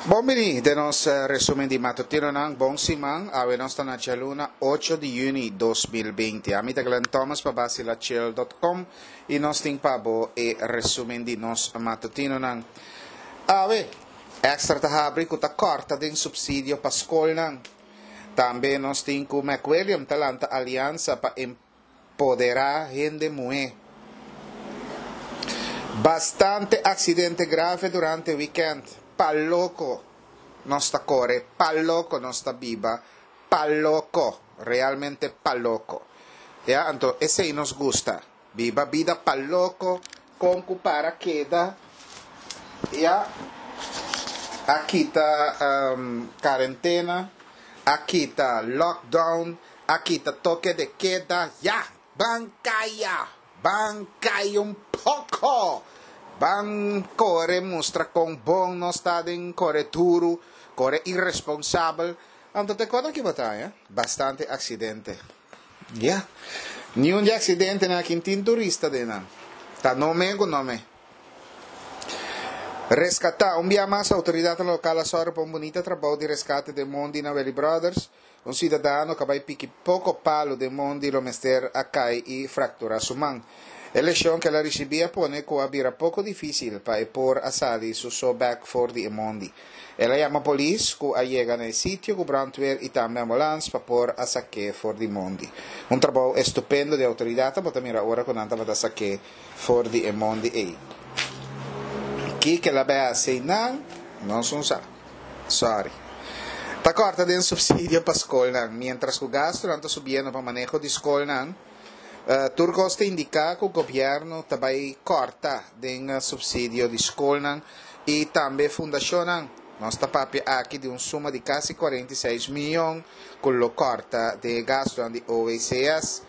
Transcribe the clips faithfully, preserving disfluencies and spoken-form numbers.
Bon bini den nos resumen di matutinonan. Bon siman, awe nos ta na djaluna ocho di yüni dos mil binti. Ami ta Glenn Thomas pa Basilachel dot com i nos tin pa bo e resumen di nos matutinonan. Awe, Extra ta habri ku ta kòrta den supsidio pa skolnan. Tambe nos tin ku McWilliam ta lanta aliansa pa empoderá hende muhé. Bastante aksidente grave durante wikènt. Pa loko nos ta kore, pa loko nos ta biba, pa loko, realmente pa loko. Ya, anto esei nos gusta. Biba bida pa loko, kon ku para keda, ya, a kita karentena, a kita lockdown, a kita toke de keda, ya, ban kaya, ban kaya un poko, ban kore mustra kon bon nos ta den kore duru, kore iresponsabel. Anto te kòrda ki bo ta haña? Bastante aksidente. Ya. Niun di aksidentenan aki tin turista den nan. Ta no me ku no me. Reskatá. Un bia mas outoridatnan lokal a sòru pa un bunita trabou di reskate den mondi na Welly Brothers. Un siudadano ku a bai piki poko palu den mondi lo mester a kai i frakturá su man. E leshon ku el a risibí a pone ku a bira poko difísil pa e por a sali su so bèk for di e mondi. El a yama polis ku a yega na e sitio ku brandweer i tambe ambulans pa por a sak'é for di mondi. Un trabou estupendo di outoridatnan bo ta mira ora ku nan tabata sak'é for di e mondi ei. Kiko el a bai hasi einan? Nos no sa. Sorry. Ta kòrta den supsidio pa skolnan. Miéntras ku gastunan ta subiendo pa maneho di skolnan, tur kos ta indiká ku gobièrnu ta bai kòrta den supsidio di skolnan i tambe fundashonnan. Nos ta papia aki di un suma di kasi kuarenta i seis mion ku lo kòrta den e gastunan di O W C S,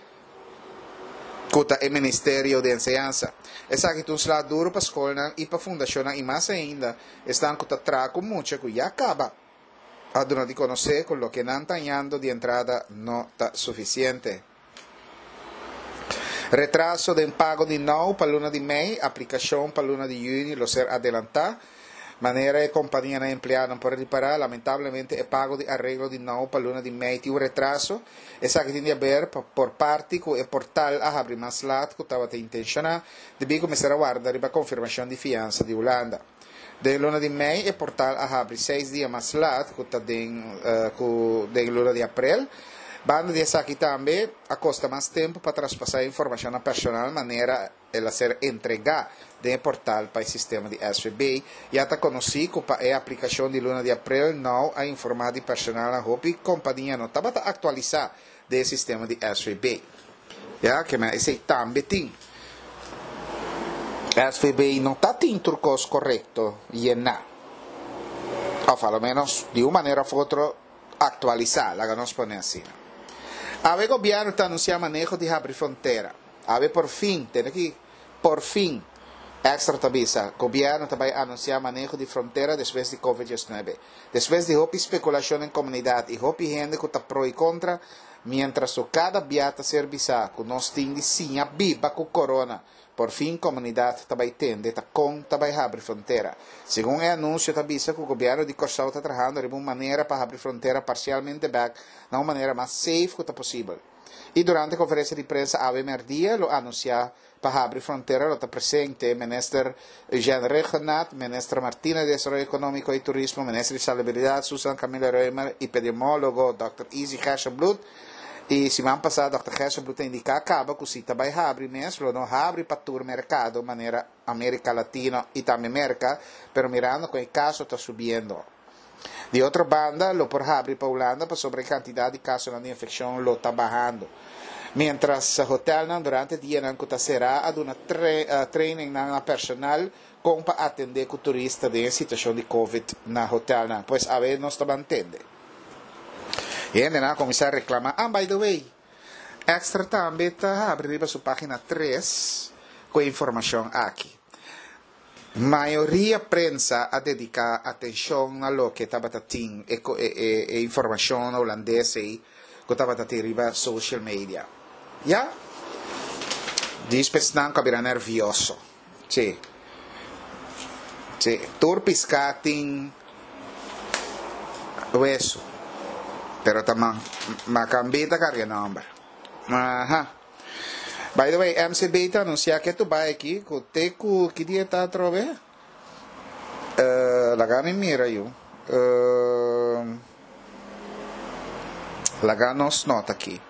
ku ta e Ministerio di Enseñansa. Esaki ta un sla duru pa skolnan i pa fundashonnan i mas ainda esnan ku ta traha ku mucha ku ya kaba a duna di konosé ku loke nan ta hañando di entrada no ta sufisiente. Retraso den pago di nou pa luna di mei, aplikashon pa luna di yüni lo ser adelantá. Manera e kompanianan empleadonan por ripará, lamentablemente e pago di areglo di nou pa luna di mei tin un retraso. Esaki tin di haber pa por parti ku e portal a habri mas lat ku tabata intenshoná, debí ku mester a warda riba konfirmashon di fiansa di Hulanda. Den luna di mei e portal a habri seis dia mas lat ku ta den ku den luna di aprel. Banda di esaki tambe a kosta mas tempu pa traspasá e informashonnan personal manera el a ser entregá den e portal pa e sistema di S V B. Ya ta konosí ku pa e aplikashon di luna di aprel nou a informá di personalnan hopi kompania no tabata aktualisá den e sistema di S V B. Ya ke men esei tambe tin. S V B no ta tin tur kos korekto yená. Òf a lo ménos di un manera òf otro aktualisá, laga nos pone asina. Awe gobièrnu ta anunsiá maneho di habri frontera. Awe por fin, tende aki, por fin, Extra ta bisa, gobièrnu ta bai anunsiá maneho di frontera despues di covid diesnuebe. Despues di hopi spekulashon den komunidat i hopi hende ku ta pro i kontra, miéntras ku kada bia ta ser bisá ku nos tin di siña biba ku korona, por fin komunidat ta bai tende ta kon ta bai habri frontera. Segun e anunsio ta bisa ku gobièrnu di Kòrsou ta trahando riba un manera pa habri frontera parsialmente bèk na un manera mas safe ku ta posibel. I durante konferensia di prensa awe mèrdia lo anunsiá pa habri frontera lo ta presente Minister Eugène Rhuggenaath, Minister Martina di Desaroyo Ekonómiko i Turismo, Minister di Salubridat Susan Camilla Römer i epidemiólogo dòkter Izzy Gerstenbluth. I siman pasá dòkter Gerstenbluth a indiká kaba ku si ta bai habri mes lo no habri pa tur merkado manera Amerika Latino i tambe Merka, pero mirando ku e kaso ta subiendo. Di otro banda lo por habri pa Hulanda pasobra e kantidat di kasonan di infekshon lo ta bahando. Mientras hotelnan durante dianan ku ta será a duna trainingnan na personal kon pa atendé ku turista den e situashon di covid na hotelnan. Pues awe nos ta ban tende. E hendenan a kuminsá reklamá, ah by the way, Extra tambe ta habri riba su página tres ku e informashon aki. Mayoria prensa a dediká atenshon na loke tabata tin e e informashon na hulandes ei ku tabata tin riba social media. Ya. Djis pesnan ku a bira nervioso. Sí. Sí. Tur piská tin Wesu. Pero ta Makambí ta karga e nòmber. Aha. By the way, M C B ta anunsiá ku tur bai aki, ku te ku ki dia ta atrobe? Uh, laga mi mira yu. Uh, laga nos nota aki.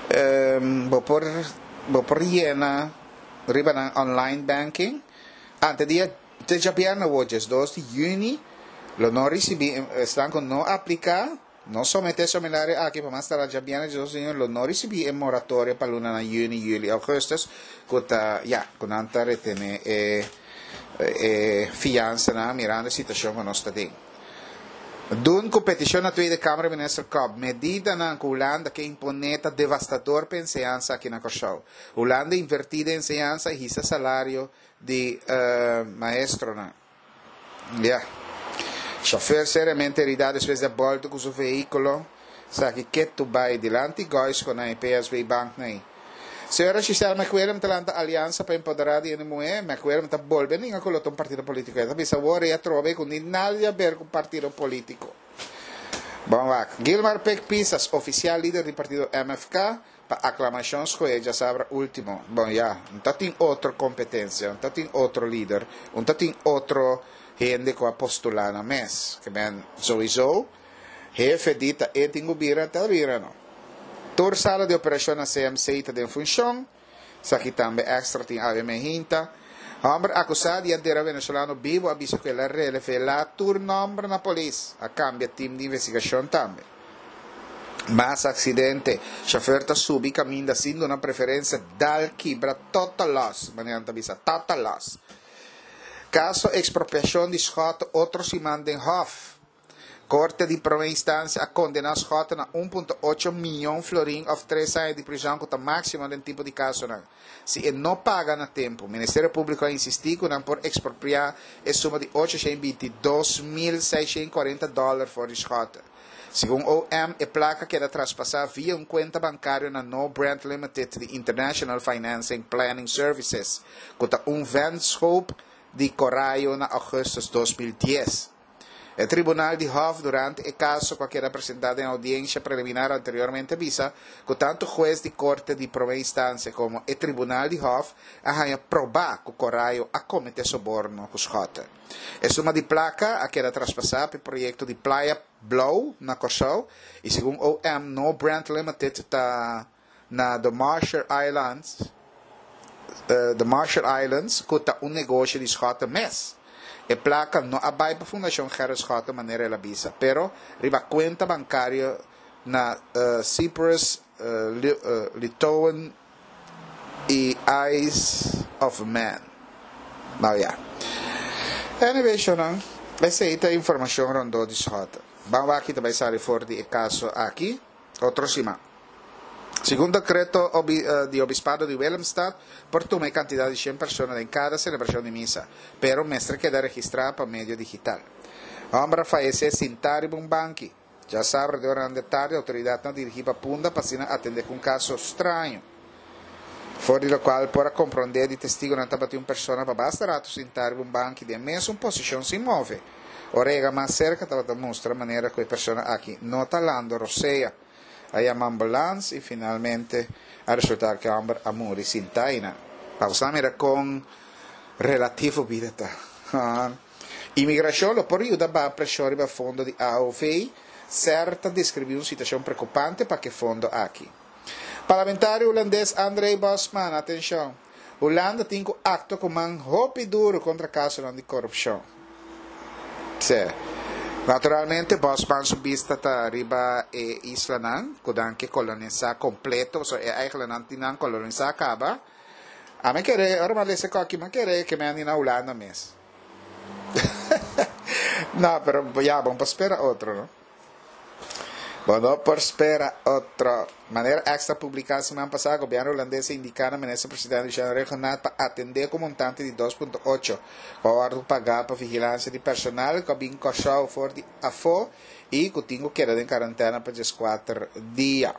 Um, bo por bo por yena riba nan online banking. Ante dia te djabièrnè dos di yüni lo no risibí, esnan ku no apliká, no someté formulario aki pa mas tarda djabièrnè dos di yüni lo no risibí e moratorio pa luna na yüni, yüli, ougùstùs, ku ta ya, ku nan ta retené e e fiansa na mirando e situashon ku nos ta den. Doen ku petishon na Tweede Kamer, minister Kop, medidanan ku Hulanda ke imponé ta devastador pa enseñansa aki na Kòrsou. Hulanda invertí den enseñansa i hisa salario di uh, maestronan. Ja. Chauffeur seriamente heridá despues di bòltu ku su vehíkulo. Esaki ketu bai dilanti Goisco na P S B Bank na. Señora Giselle McWilliam ta lanta aliansa pa empoderá di muhé. McWilliam ta bolbe ninga ku un partido polítiko. Ta bisa awor e atrobe ku ni nada di aber ku partido polítiko. Bon, wak. Gilmar Pik Pisas, ofisial lider di partido M F K, pa aklamashon skohe djasabra último. Bon, ya, no tin otro kompetensia, no tin otro lider, no tin otro hende ku a postulá na mes. Ke men, sowieso, hefe di ta e tin ku bira, ta bira no. Tur sala di operashon na C M C ta den funshon. Esaki tambe Extra tin awe mainta. Hòmber akusá di a dera venezolano bibu a bisa ku el a revelá tur nòmber na polis. A kambia tim di investigashon tambe. Mas aksidente. Shofùr ta subi kaminda sin duna preferensia, dal kibra, total loss. Manera ta bisa, total loss. Kaso ekspropiashon di Schotte otro siman den Hof. Korte di promé instansia a kondená Schotte na un punto ocho mion florin òf tres aña di prizòn, ku ta máksimo den tipo di kasonan. Si e no paga na tempu, Ministerio Públiko a insistí ku nan por ekspropiá e suma di ochoshen bintidós mil seisshen kuarenta dòler for di Schotte. Segun O M, e plaka a keda traspasá via un kuenta bankario na No Brand Limited di International Financing Planning Services, ku ta un vennootschap di Corallo na ougùstùs dos mil dies. E tribunal di Hof durante e kaso ku a keda presentá den oudiensia preliminar anteriormente a bisa ku tantu hues di korte di promé instansia komo e tribunal di Hof a haña probá ku Corallo a kometé soborno ku Schotte. E suma di plaka a keda traspasá pa e proyekto di Playa Blou na Kòrsou i segun O M, No Brand Limited ta na The Marshall Islands, uh, The Marshall Islands, ku ta un negoshi di Schotte mes. E plaka no a bai pa Fundashon Gerrit Schotte manera el a bisa, pero riba kuenta bankario na uh, Cyprus, uh, Li, uh, Litauen i Isle of Man. Nou ja. Anyway, shonan, esei ta informashon rondó di Schotte. Ban wak kiko ta bai sali for di e kaso aki, otro siman. Segun dekreto di Obispado di Willemstad, por tuma kantidat di shen persona den kada selebrashon di misa, pero mester keda registrá pa medio digital. Hòmber a fayesé sintá riba un banki. Djasabra durante tardi, outoridatnan a dirigí pa Punda pa atendé ku un kaso straño. For di lokual por a komprondé di testigunan, tabatin un persona pa basta ratu sintá riba un banki den mesun posishon sin move. Ora yega mas serka, tabata mustra manera ku e persona aki no ta halando rosea. A yama ambulans i finalmente a resultá ku e hòmber a muri sintá einan. Pa mira kon relativo bida ta. Imigrashon lo por yuda baha preshon riba fondo di A O V. S E R ta deskribí un situashon preokupante pa e fondo aki. Parlamentario hulandes André Bosman, atenshon. Hulanda tin ku aktua ku man hopi duru kontra kaso di korupshon. Sí. Naturalmente, Bosman su bista ta riba e islanan, ku nan ke kolonisá kompleto, so e eigenlijk nan tin nan kolonisá kaba. Ami ke, ora m'a lesa aki, m'a kere ku mi na Hulanda mes. No, pero ya, ban spera otro, no? Bueno, por spera otro. Manera Extra a publiká siman pasá, gobièrnu hulandes a indiká na minister presidente Jean Raghunath pa atendé ku montante di dos punto ocho ku a paga pa vigilansia di personal ku a bin Kòrsou for di afó i ku tin ku keda den kuarentena pa dieskuater dia.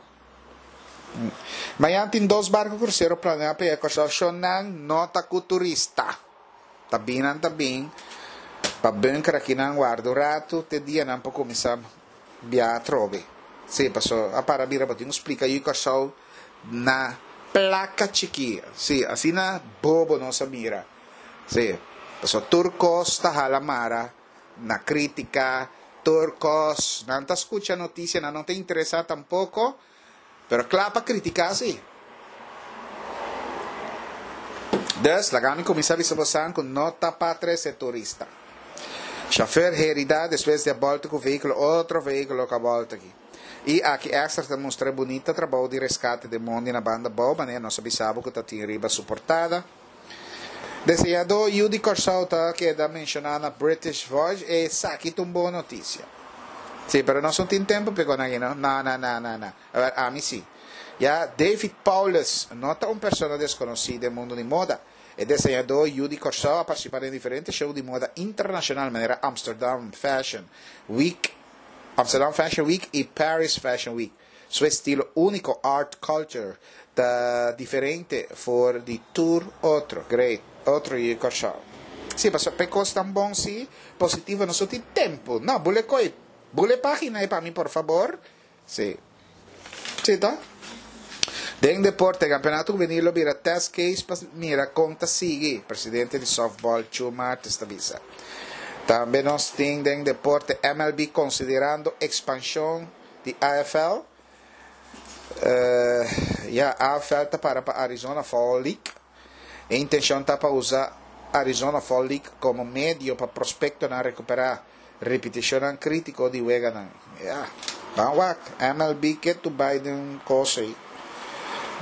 Mañan tin dos barku krusero planeá pa Kòrsou, nan no ta ku turista. Ta bin, ta bin. Pa bunker aki nan warda ratu, te dia nan pa kuminsá. bia atrobe. Sí, paso a para bira bo tin ku splika yu Kòrsou na plaka chikí. Sí, asina bobo nos a mira. Sí, paso tur kos ta hala mara na krítika, tur kos. Nan ta skucha notisia, nan no ta interesá tampoko, pero kla pa kritiká sí. Dus, laga mi kuminsá bisa bosan ku no ta pa trese turista. Chauffeur herida despues di a bolta ku vehíkulo otro vehíkulo ku a bolta aki. I aki Extra ta mustra e bunita trabou di reskate den mondi na banda bou manera nos a bisa bo ku ta tin riba su portada. Deseñadó yu di Kòrsou ta keda menshoná na British Voice, esaki ta un bon notisia. Sí, pero nos no tin tempu p'e kon aki no. No, no, no, no, no. Awor, ami sí. Ya, David Paulus no ta un persona deskonosí den mundu di moda. E deseñadó yu di Kòrsou a partisipá den diferente show di moda internashonal manera Amsterdam Fashion Week, Amsterdam Fashion Week i Paris Fashion Week. Su estilo úniko, art culture, ta diferente for di tur otro. Great. Otro yu di Kòrsou. Sí, pasobra p'e kos tan bon sí, positivo nos no tin tempu. No, bule koi. Bule página ei pa mi por fabor. Sí. Sí ta. Den deporte, Campeonato Juvenil lo bira test case pa mira con ta sigui, presidente di softball Chu Martes ta bisa. Tambe nos tin den deporte M L B considerando expansion di A F L. Ya, A F L ta para pa Arizona Fall League. E intencion ta pa usa Arizona Fall League como medio pa prospectonan recupera repeticionnan critico di weganan. Ya, ban wak, M L B ke tu bai den un cos ei.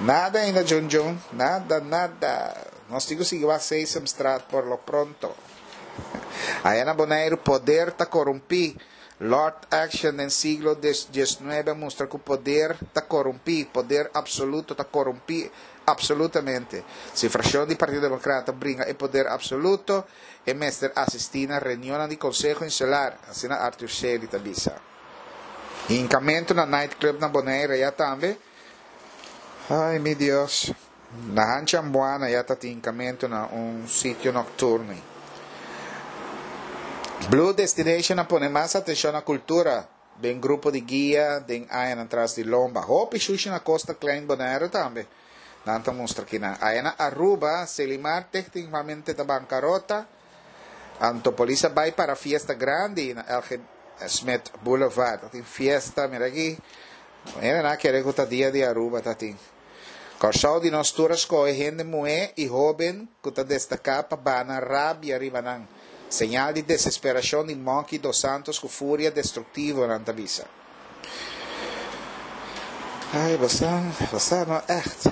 Nada ainda, Jun Jun. Nada, nada. Nos tin cu sigui wak Sesamstraat por lo pronto. Aya na Boneiru, poder ta corumpi. Lord Action den siglo diesnuebe a mustra cu poder ta corumpi, poder absoluto ta corumpi absolutamente. Si fraccion di Partido Democrata bringa e poder absoluto, e mester asisti na reunionnan di Conseho Insular, asina Arthur Shelley ta bisa. Hincamento na nightclub na Bonaire ya tambe. Ay, mi Dios. Na Hanchi Ambuana ya ta tin hincamento na un sitio nocturno. Blue Destination a pone mas atencion na cultura den grupo di guia den añanan tras di lomba. Hopi shushi na Costa Klein Bonaire tambe. Nan ta mustra kinan. Aya na Aruba, Selimar technicamente ta bancarota. Anto polis a bay para fiesta grandi na L G Smith Boulevard. Ta tin fiesta, mira aki. Mira na kere cu ta dia di Aruba ta tin. Kòrsou di nos tur a scoge hende muhé y hoben cu ta destaca pa bana rabia riba nan. Señal di desesperacion di Monkey dos Santos cu furia destructivo, nan ta bisa. Ay, bosa, bosa no echt.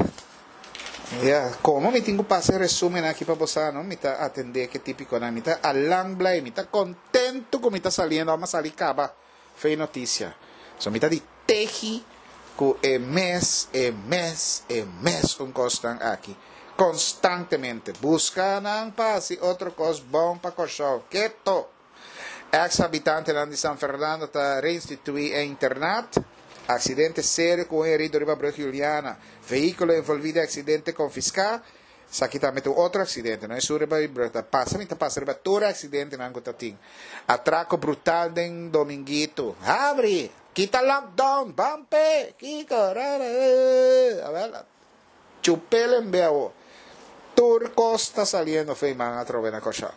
Ja, como mi tin cu pasa e resumen aki pa bosa, no? Mi ta atende ke típico nan. Mi ta alang blij, mi ta contento cu mi ta saliendo, ama sali caba. Fe noticia. So mi ta di teji cu e mes, e mes, e mes un costan aki. Constantemente. Busca nan pa haci otro cos bon pa Kòrsou. Keto. Ex habitantenan di San Fernando ta reinstitui e internat. Accidente serio cu un herido riba brug Juliana. Vehiculo envolvi den accidente confisca. Esaki tambe ta un otro accidente. No es un riba brug. Ta pasa, mi ta pasa riba tur accidentenan cu ta tin. Atraco brutal den Dominguito. Habri! Kita lockdown! Bampe! Kiko! Ra, ra, ra. A ver, chupele en beo. Tur cos ta saliendo fe man atrobe na Kòrsou.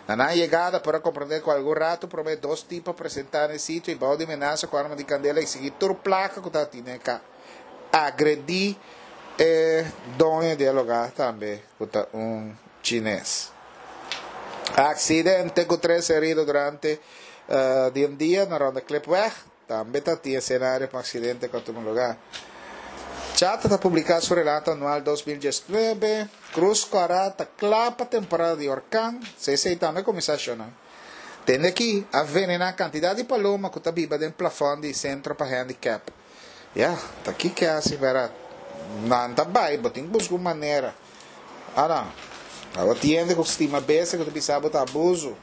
Na nan yegada por a comprende cu algun rato prome dos tipo presenta na e sitio y bao di menasa cu arma di candela exigi tur placa cu ta tine ca agredi e doño di e lugar tambe cu ta un chines. Accidente cu tres herido durante, eh, di un dia na Ronde Klipweg. Tambe ta tin escenario pa accidente cu a tuma lugar. Chata ta publica su relato anual dos mil diesnuebe. Cruz Cora ta cla pa temporada di orkan. C C tambe cuminsa shona. Tende aki a venena cantidad di paloma cu ta biba den plafond di centro pa handicap. Ya, ta ki ke haci vera? Nan ta bay, bo tin busca un manera. Ah, no. Abo tiende cu stima bese cu ta bisa bo ta abuso.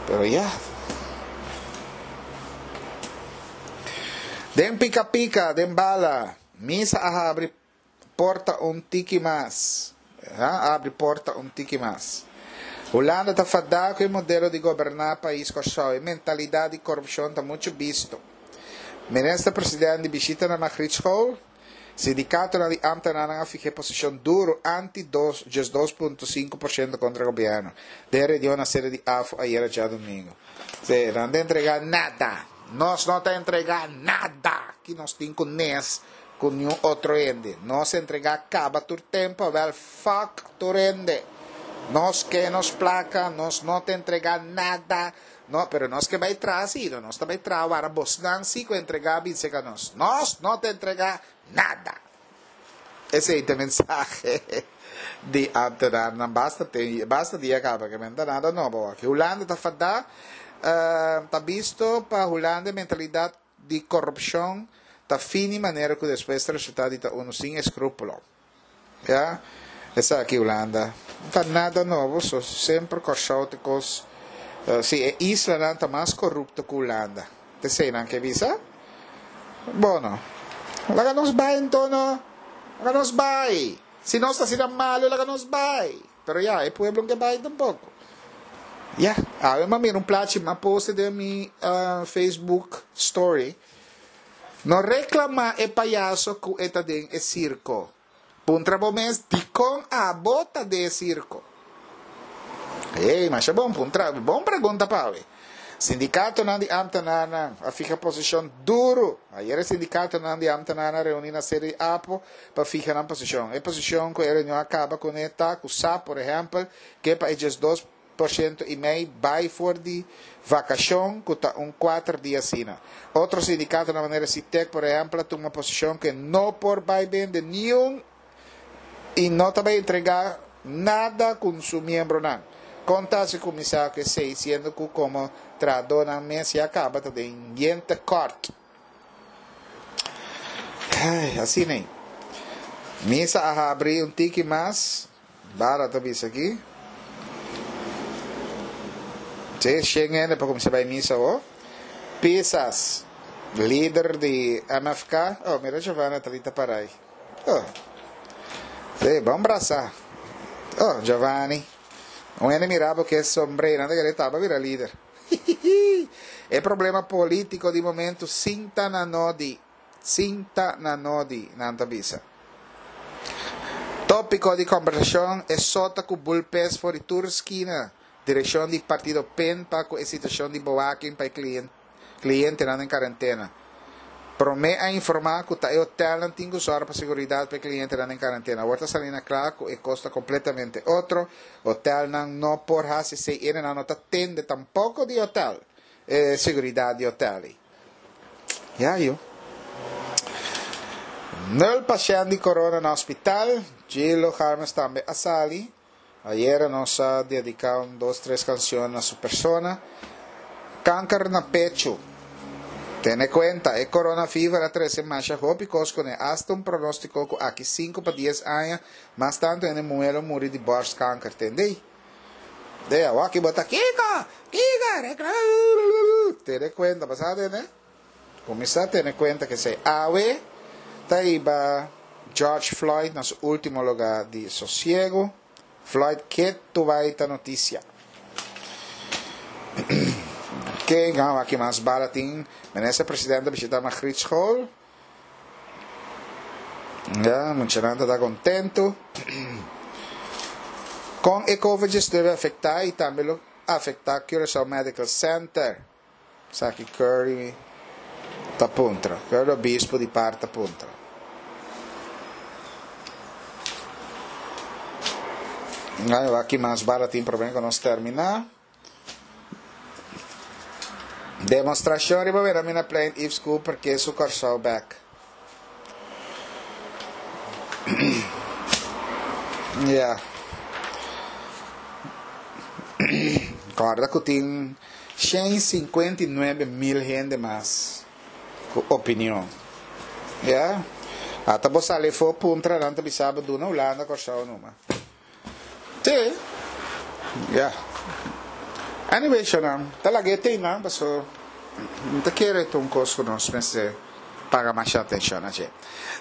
Pero ya. Den pica pica, den bala, misa a habri porta un tiki mas. Ha, habri porta un tiki mas. Hulanda ta fadá ku e modelo di goberná pais Kòrsou. E mentalidat di korupshon ta muchu bisto. Minister presidente di bishita na Margrietschool. Sindikatonan di ámtenarnan a fiha posishon duru anti dos diesdos punto sinku porshento kontra gobièrnu den reunion na sede di AFO ayera djadumingu. Sí, nan ta entregá nada. Nos no ta entregá nada ki nos tin ku nes ku niun otro hende. Nos entregá kaba tur tempu, awèl fuck tur hende. Nos ke nos plaka, nos no ta entregá nada. No, pero nos ke bai traha sí, no nos ta bai traha wara bosnan sí ku entregá bin seka nos. Nos no ta entregá nada. Esei ta e mensahe di ámtenarnan basta te, basta dia kaba ke men ta nada nobo aki. Hulanda ta fadá, ta bisto pa Hulanda e mentalidat di korupshon ta fini manera ku despues ta resultá di ta unu sin eskrúpulo. Ya, esaki Hulanda. No ta nada nobo, so semper Kòrsou ta kos, si e islanan ta mas korupto ku Hulanda. Ta esei nan ke bisa? Bono, laga nos bai anto no. Laga nos bai. Si nos ta asina malu, laga nos bai. Pero ya, e pueblo no ke bai tampoko. Ya, awe m'a mira un plachi, m'a poste den mi Facebook story. No reklamá e payaso ku e ta den e sirko. Puntra bo mes, Dikon abo ta den e sirko? Ey, masha bon puntra, bon pregunta pa awe. Sindikatonan di ámtenarnan a fiha posishon duru. Ayer e sindikatonan di ámtenarnan a reuní na sede di APO pa fiha nan posishon. E posishon ku e reunion a kaba kuné ta ku sa, por ehèmpel, ke pa e diesdos por shento i mei bai for di vakashon ku ta un kuater dia asina. Otro sindikatonan manera Sitek por ehèmpel a tuma posishon ku e no por bai bende niun i no ta bai entregá nada ku su miembronan. Kon ta hasi kuminsá ku esei siendo ku komo trahadónan mes ya kaba ta den yen tekòrt? Ai, asina ei. Misa a habri un tiki mas. Bara ta bisa aki. Sí, shen hende pa kuminsá bai misa awor. Pisas, lider di M F K. Oh, mira Giovanni Atalita para ei. Oh. Sí, bon brasa. Oh, Giovanni. Un hende mira bo ku e sombré, nan ta kere taba bira lider. E problema polítiko di momento sinta na nodi. Sinta na nodi, nan ta bisa. Tópiko di kombersashon, E sota ku bulpes for di tur skina. Direkshon di partido pen pa ku e situashon di bewaking pa e klientenan den karentena. Promé a informá ku ta e hotelnan tin ku sòru pa seguridat pa e klientenan den karentena. Awor ta sali na kla ku e kos ta kompletamente otro. Hotelnan no por hasi esei, enenan no ta tende tampoko di hotel, e seguridat di hotel ei. Ya yu. Nul pashènt di corona na hospital. Gilo Harmes tambe a sali. Ayera nos a dediká un dos tres kanshon na su persona. Kanker na pechu. Tene kuenta, e corona fever a trese masha hopi kos kuné, asta un pronóstiko ku aki sinku pa dies aña mas tantu hende muhé lo muri di bòrstkanker. Tendei? De awor ki bo ta kiko? Kiko? Rekla. Tene kuenta, bo sa tene? Kuminsá tene kuenta kesei. Awe ta hiba George Floyd na su último lugá di sosiegu. Floyd ke tubai ta notisia. Ke gau aki mas bala tin. Minister Presidente a bishita Margriet School. Ya, muchanan ta ta kontentu. Kon e Covid diesnuebe a afektá i tambe lo afektá Curaçao Medical Center? Esaki Curry ta puntra. Curry Obispo di par ta puntra. Ai, aki mas bala tin promé ku nos terminá. Demostrashon riba Wilhelminaplein Yves Cooper ke su Kòrsou bèk. Ya. Kòrda ku tin shen sinkuenta i nuebe mil hende mas ku opinion. Ya. Ata bo sali afó puntra nan ta bisa bo duna Hulanda Kòrsou numa. Sí. Ya. Anyway, shownan, ta laga e tema, paso mi ta kere ta un kos ku nos mester paga masha atenshon na dje.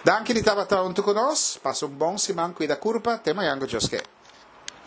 Danki di tabata huntu ku nos. Pasa un bon siman, kuida kurpa. Te mañan ku Dios ke.